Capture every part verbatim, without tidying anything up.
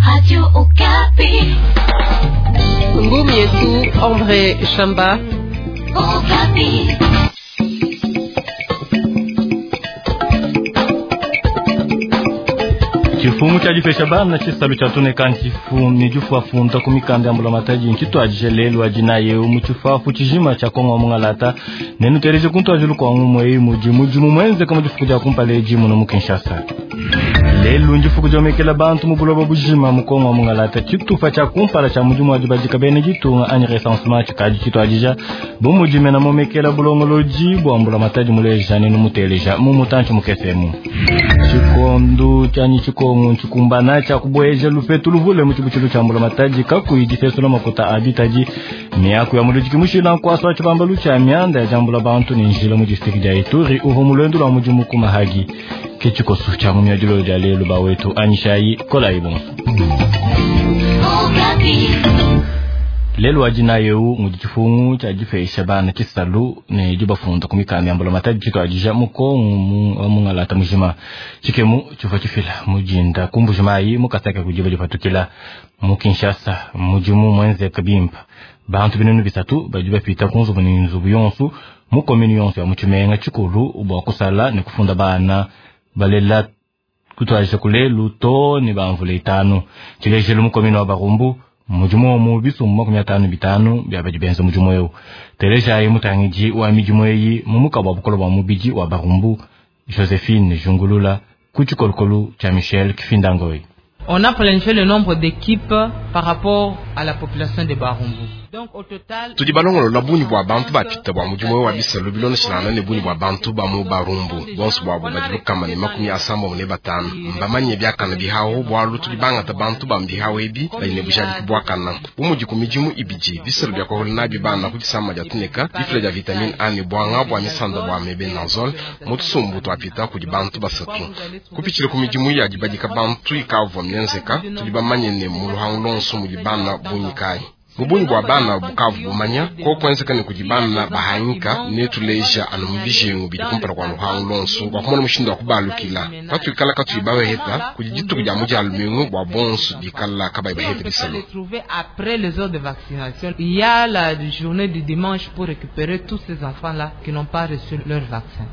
Radio Okapi. Ngumi yetu André Shamba. Okapi. Chifumu cha dipesha bana chisalu cha tuneka nchifu jufu ku mikanda ya mbulamatadi nchitwajije lelu adi eu mu tshifafu tshijima tshia kongo wa mungalata nenuteleje kuntuajilu kua ngumu eyi mudi mudimu muenzeka mu difuku dia kumpala edi muno mu Kinshasa. Lelu ndifuku diomekela bantu mu buloba bujima mu Kongo wa mungalata tshitupa tshia kumpala tshia mudimu wa dibadika bene ditunga anyi recensement tshikadi tshituadija bu mudi mena momekela bulongolodi bua mbulamatadi muleja nenu muteleja mu mutantshi mukesemu. Tshikondu tshianyi tshikongo tshikumbana tshia kubueja lupetu luvule mu tshibutshilu tshia mbulamatadi kakuyi difesula makuta a bitadi miaku ya muludiki mushila nkuasa wa tshibambalu tshia mianda ya diambula bantu ne njila mu district dia Ituri uvua mu luendu lua mudimu ku Mahagi. Ke tshikoso tshia mu miadilo dia lelu ba wetu anyishayi kolayi bonso. Lelu wa dina eu mudi tshifungu tshia dipesha bana tshisalu ne dibafunda ku mikanda ya mbulamatadi tshituadija mu Kongo wa mungalata mujima. Tshikemu tshivua tshifila mujinda ku Mbuji-Mayi mu Kasai kudi badipatukila mu Kinshasa mudimu muenzeka bimpa. Bantu binunu bisatu badi bapita ku nzubu ne nzubu yonso mu komini yonso ya mu tshimenga tshikulu bua kusala ne kufunda bana balela kutuadija kulelu to ne bamvula itanu. Tshilejelu mu komini wa Barumbu mudimu omu bisumbu makumi atanu bitanu bia badi benza mudimu eu. Telejayi mutangidi wa midimu eyi mu mukaba wa bukolo bua mubidi wa Barumbu Josephine Jungulula ku tshikolokolo tshia Michel Kifindangoi. On a planifié le nombre d'équipes par rapport à la population de Barumbu. Donc au total, tudi balongolola bungi bua bantu bapita bua mudimu wa bisalu bilondeshilana ne bungi bua bantu ba mu Barumbu bonso buabu badi lukama ne makumi asambombo ne batanu mbamanye biakana bihawu bualu tudi bangata bantu ba mbihawu ebi badi ne bujadiki buakana bu mudi ku midimu ibidi bisalu bia kuahula nabi bana ku disama dia tuneka difila dia vitamine A ne buanga bua misanda bua mebenazole mu tusumbu tuapita kudi bantu basatu kupitshila ku midimu ya dibadika bantu ikavua mienzeka tudi bamanye ne mu luhangu lonso mudi bana bungi kayi mubunyi bua bana bukavu bumanya ko kuenzeka ne kudi bana bahanyika ne tuleja anu mu bijengu bidi kumpala kua luhangu lonso bua kumona mushindu wa kubalukila patuikala katuyi baweheta kudi dituku dia mudia lumingu bua bonso bikala kabayi baheta bisalu. Après les heures de vaccination, il y a la journée du dimanche pour récupérer tous ces enfants-là qui n'ont pas reçu leur vaccin.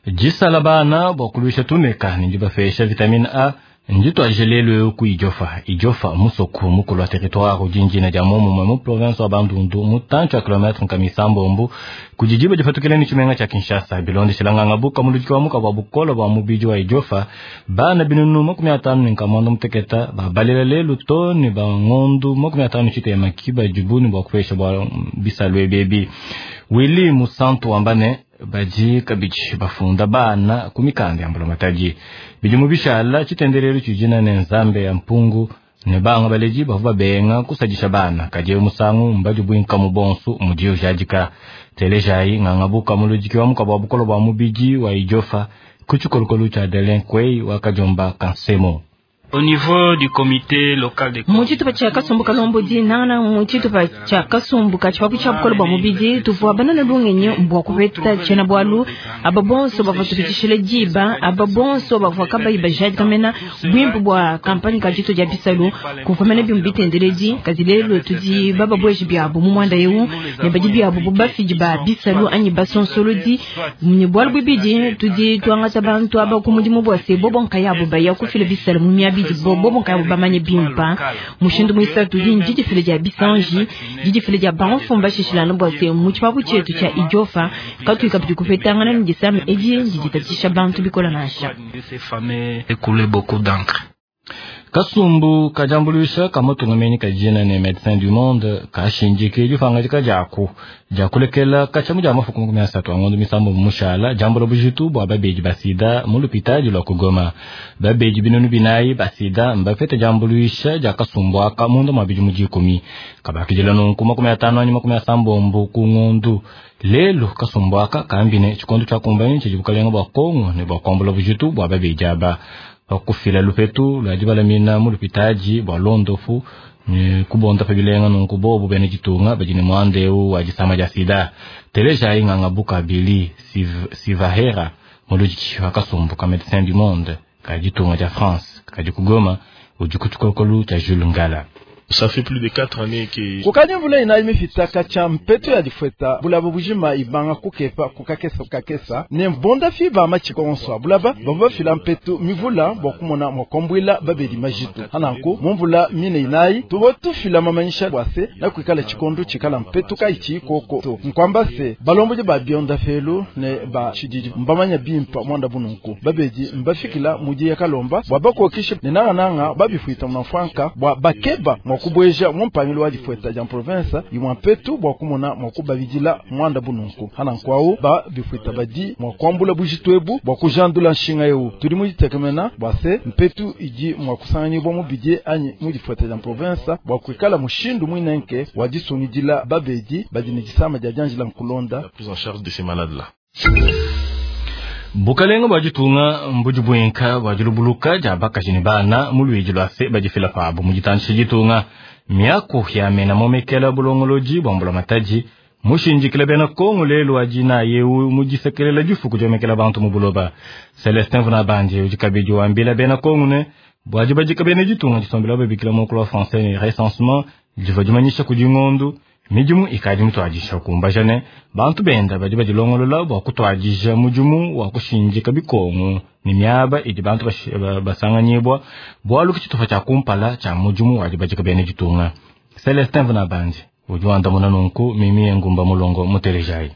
Jisala bana bua kuluisha tuneka ne dibapesha vitamine A nditwaje lelu ku Idiofa. Idiofa musoku mukulu wa territoire udi dia momumue mu province wa Bandundu mutantshi wa kilometre nkama isambombo kudi diba dipatukile ne tshimenga tshia Kinshasa bilondeshela nganga buka muludiki wa muka bua bukolo bua mubidi wa Idiofa bana binunu makumi atanu ne nkama muanda muteketa babalela lelu to ne bangondu makumi atanu tshitema kiba dibuni bua kupesha bua bisalu ebi. Willy Musantu wambane badi kabidi bafunda bana ku mikanda ya mbulamatadi bidi mu bishala tshitendelelu tshidina ne nzambe ya mpungu ne banga baledi bavua babenga kusadisha bana kadi musangu mbadi buinka mu bonso mudi ujadika. Telejayi nganga buka muludiki wa mukaba wa bukolo bua mubidi wa Idiofa ku tshikolokolo tshia Delin Kwei wa Kadiomba Kansemo. Au niveau du comité local de mu tshitupa tshia kasumbu kalombodi nangana mu tshitupa tshia kasumbu ka tshipapu tshia bukolo bua mubidi tuvua banana lungenyi bua kupeta tshiena bualu aba bonso bavua tupitishile diba aba bonso bavua kabayi bajadika mena bwimpu bua kampani ka ditu dia bisalu kuvua mena bimu bitendeledi kadi lelu tudi bababueji biabu mu muanda eu ne badi biabu bu bafidi ba bisalu anyi basonsolodi ne bualu bubidi tudi tuangata bantu aba ku mudimu bua se bobo nkayabu baya kufila bisalu mu miabi bobo nkayabu bamanye bimpa mushindu muisatu di ndidifile dia bisanji didifile dia banfumba shishilana bua se mu tshipapu tshietu tshia Idiofa katuyi kabidi kupetangana ne disama edi ndiditatshisha bantu bikola nansha. Kasumbu kajambuluisha kamutungameni kajina ne Médecins du Monde kashindike dipangadika diaku diakulekela katshiamu dia mafuku makumi asatu a ngondo misambo mushala diambula bujitu bua babedi ba sida mu lupitadi lua kugoma. Babedi binunu binayi ba sida mbapete diambuluisha dia kasumbu aka munda mua bidimu dikumi kabakidila nunku makumi atanu anyi makumi asambombo ku ngondu. Lelu kasumbu aka kambine tshikondo tshia kumbanyi tshidi bukalenga bua Kongo ne bua kuambula bujitu bua babedi aba bakufila lupetu lwa dibalamina mu lupitadi bua londofu ne kubonda pa bilenga nunku bobu bene ditunga badi ne muanda eu wa disama dia sida. Telejayi nganga buka Bili Sivahera muludiki wa kasumbu ka Médecins du Monde ka ditunga dia France kadi kugoma Udi ku tshikolokolu tshia Jules Ngala. Ça fait plus de quatre années que kukadi mvula inayi mifita katshia mpetu ya difweta bulaba bujima ibanga kukepa kukakesa kukakesa ne mbonda fi ba machiko onso abulaba bavua bafila mpetu mivula bua kumona mwakombwila babedi majitu hananku mumvula mine inayi tubo tufila mamanyisha bwase na kuikala chikondo chikala mpetu kaichi koko to nkwamba se balomboji ba bionda felu ne ba chididi mbamanya bimpa mwanda bununku babedi mbafikila mudi ya kalomba bwa bakokisha ne nangananga babifwita mnafwanka bwa bakeba kubweja mumpangilo wa difweta ja province imwa mpetu bwa kumona mwa kubabidila mwanda bununku hana nkwawu ba bifweta badi mwa kwambula bujitu ebu bwa kujandula nshinga ewu tuli muditekemena bwa se mpetu idi mwa kusanganyibwa mubidie anyi mu difweta ja province bwa kuikala mushindu mwinenke wa disungidila babedi badi ne disama dia dianjila nkulonda la prise en charge de ces malades là. Bukalenga bwa ditunga mbudi bwenka bwa dilubuluka dia bakaji ne bana mu luidi lwa se badifila pabo mu ditandisha ditunga miaku ya mena momekela bulongolodi bwa mbula matadi mushindikile bena Kongo lelo wa dina yewu mu disekelela difuku diomekela bantu mu buloba. Celestin Vunabandi udi kabidi wambila bena Kongo ne bwa dibadika bena ditunga disombela babikila mokolo wa français ne recensement divua dimanyisha kudi ngondu midimu ikadi mutwadisha kumbaja ne bantu benda badi badilongolola bua kutwadisha mudimu wa kushindika bikongo ne miaba idi bantu basanganyibwa bualu ku tshitupa tshia kumpala tshia mudimu wa dibadika bena ditunga. Celestin Vunabandi udi wandamuna nunku mimi ngumba mulongo mutelejayi.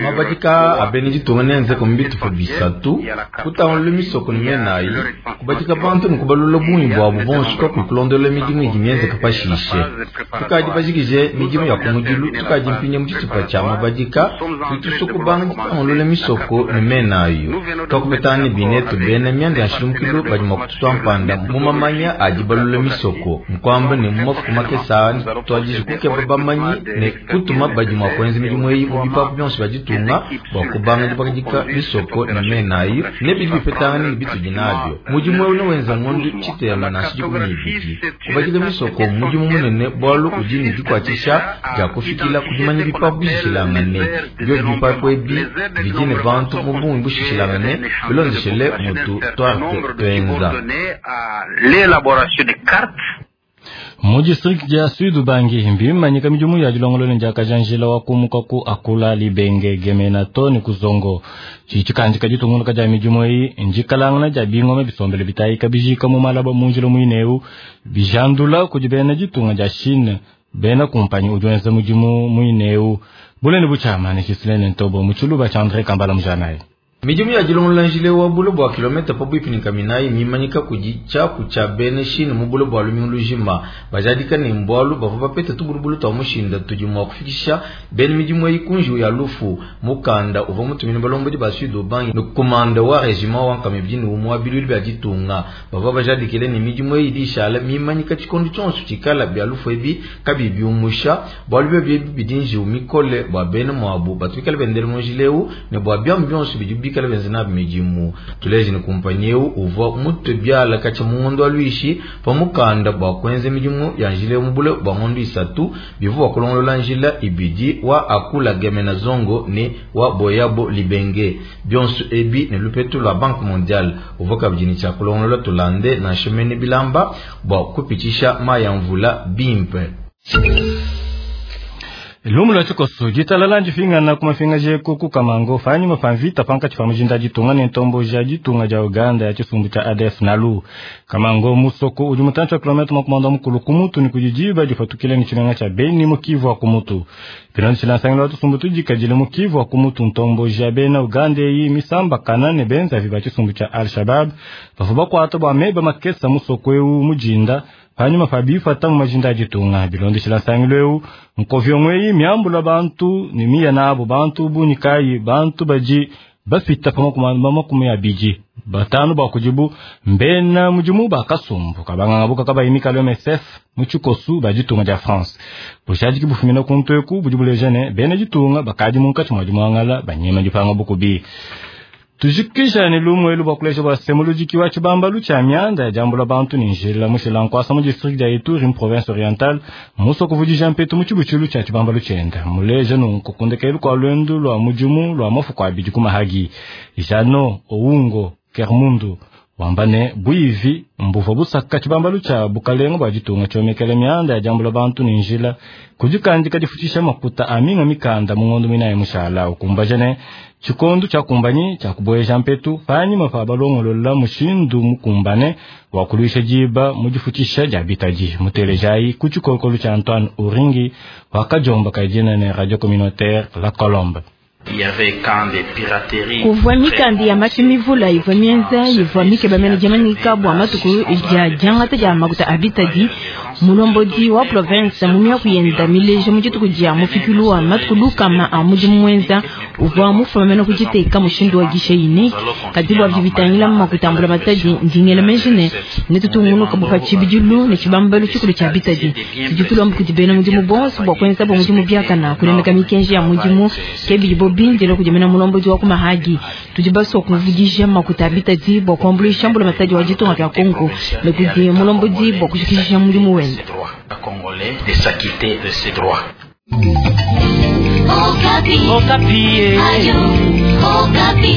Mabadika abeni ditunga nenzeka mu bitupa bisatu kutangulula misoko ne menayi kubadika bantu ne kubalula bungi bwabo bonso kakukulondola midimu idi mienzeka pashishe tukadi bajikije midimu ya kumudilu tukadi mpinya mu tshitupa tshia mabadika tutuso kubanga ditangulula misoko ne menayo twakupetana ne binetu bena mianda ya nshilumukilu badi mua kututwa mpanda mu mamanya adi balula misoko nkwamba ne mu mafuku makesa tuadije kukeba bamanyi ne kutuma badi mua kuenza midimu eyi mu bipapu bionso bia ditunga bua kubanga dibakadika misoko ne menayo ne bidi bipetangana ne bitudi nabio mudimu ewu newenza ngondu tshitema nansha dikumi ne ibidi kubadika misoko mudimu munene bualu udi ne dikuatshisha dia kufikila kudimanya bipapu bishishilangane bio bipapu ebi bidi ne bantu mu bungi bushishilangane bilondeshele mutu twarte twenza. Mu district dia Sud Ubangi mbimanyika midimu ya dilongolola ndiakaja wa kumuka ku akula libenge gemena to ne kuzongo tshitshikandika ditunguluka dia midimu eyi ndikalangana dia bingoma bisombele bitayika bijika mu malaba munjila muineu bijandula kudi bena ditunga dia Chine bena kumpanyi udi wenza mudimu muineu bulene butshiamane tshisilene ntobo mu tshiluba tshia André Kambala mujanayi. Midimu ya dilongolola njila wa bulo bua kilomita pabuipi ne kaminayi mimanyika kudi tshiapu tshia bena Chine mu bulo bua lumingu lujima bajadika ne mbualu bavua bapeta tubulubulu tua mushinda tudi mua kufikisha bena midimu eyi kunjiwu ya lufu mukanda uvua mutumine balombodi ba Sud Ubangi ne komanda wa regiment wa nkama ibidi ne umue wa bilulu bia ditunga bavua bajadikile ne midimu eyi idi ishala mimanyika tshikondo tshionso tshikala bia lufu ebi kabiyi biumusha bualu biobi ebi bidi njiwu mikole bua bena muabu batu bikale bendele mu njila ewu ne bua biamu bionso bidi bikale benza nabi midimu tuleje ne kumpanyi ewu uvua mutwe biala katshia mu ngondo wa luishi pa mukanda bua kuenza midimu ya njila mu bule bua ngondo isatu bivua kulongolola njila ibidi wa akula gemena zongo ne wa boyabo libenge bionso ebi ne lupetu lua Banque Mondiale uvua kabidi ne tshia kulongolola tulande na nshemene bilamba bua kupitshisha mayi ya mvula bimpe. Lumu lwa tshikoso ditalala ndifingana ku mafinga jeku ku Kamango fanyuma pa mvita pankatshi pa mujinda ditunga ne ntombo ja ditunga dia Uganda ya tshisumbu tshia A D F Nalu. Kamango musoko udi mutantshi wa kilomita makumi mukulu ku mutu ne kudi diba difatukile ne tshimenga tshia Beni mu Kivu wa ku mutu. Bilondeshile nsangilu wa tusumbu tudikadile mu Kivu wa ku mutu ntombo ja bena Uganda eyi misambakana ne benzavi ba tshisumbu tshia Al Shabab bavua bakuata bua meba makesa musoko ewu mujinda panyuma pa bifata mu majinda a ditunga. Bilondeshile nsangilu ewu nkovyongo eyi miambula bantu ne miya nabo bantu bunikayi bantu badi bafita pa makumi abidi batanu bakudibu mbena mudimu bakasumbu kabanganga buka kabayi mikalo M S F mu tshikosu ba ditunga dia France. Bushadiki bufumina ku nteku budi buleja ne bena ditunga bakadi munkatshi mua dimuangala banyema dipanga bukubi. Tujikisha ne lumu elu bua kulesha bua semuludiki wa tshibambalu tshia mianda ya diambula bantu ne njila mushila nkuasa mu district dia Ituri mu province orientale musoko vudija mpetu mu tshibutshilu tshia tshibambalu tshienda muleja nunku kundekelu kua luendu lua mudimu lua mafuku abidi ku Mahagi. Jano Oungo Kermundu Wamba ne buivi mbuvua busaka tshibambalu tshia bukalenga bua ditunga tshiomekela mianda ya diambula bantu ne njila kudikandika difutshisha makuta a minga mikanda mu ngondo minayi mushala. Ukumbaja ne tshikondo tshiakumbanyi tshia kubueja mpetu panyima pa balongolola mushindu mukumbane wa kuluisha diba mu difutshisha dia bitadi. Mutelejayi ku tshikokolo tshia Antoine Uringi wakajomba kaidina ne Radio Communautaire La Colombe. Kuvua mikanda ya mashi mivula ivua mienza ivua mikeba mene diamanyika bua matuku dia diangata dia makuta a bitadi. Mulombodi wa province mu miaku yenda mileja mu dituku dia mufikilu wa matuku lukama a mudimu muenza uvua mufuma mene kuditeka mushindu wa guichet unique. Kadi bua bidi bitangila makuta a mbulamatadi ndingela meji ne netutungunuka bua tshibidilu ne tshibambalu tshikulu tshia bitadi. Tudi tulomba kudi bena mudimu bonso bua kuenza bua mudimu biakana kunemeka mikenji ya mudimu ke bidibo bindile kudi mena mulombodi wa kumahagi. Tudi basua kuvudija makuta a bitadi bua kuambuluisha mbulamatadi wa ditunga dia Kongo ne kudi mulombodi bua kushikisha mudimu wende. Okapi. Okapi. Ayo, Okapi.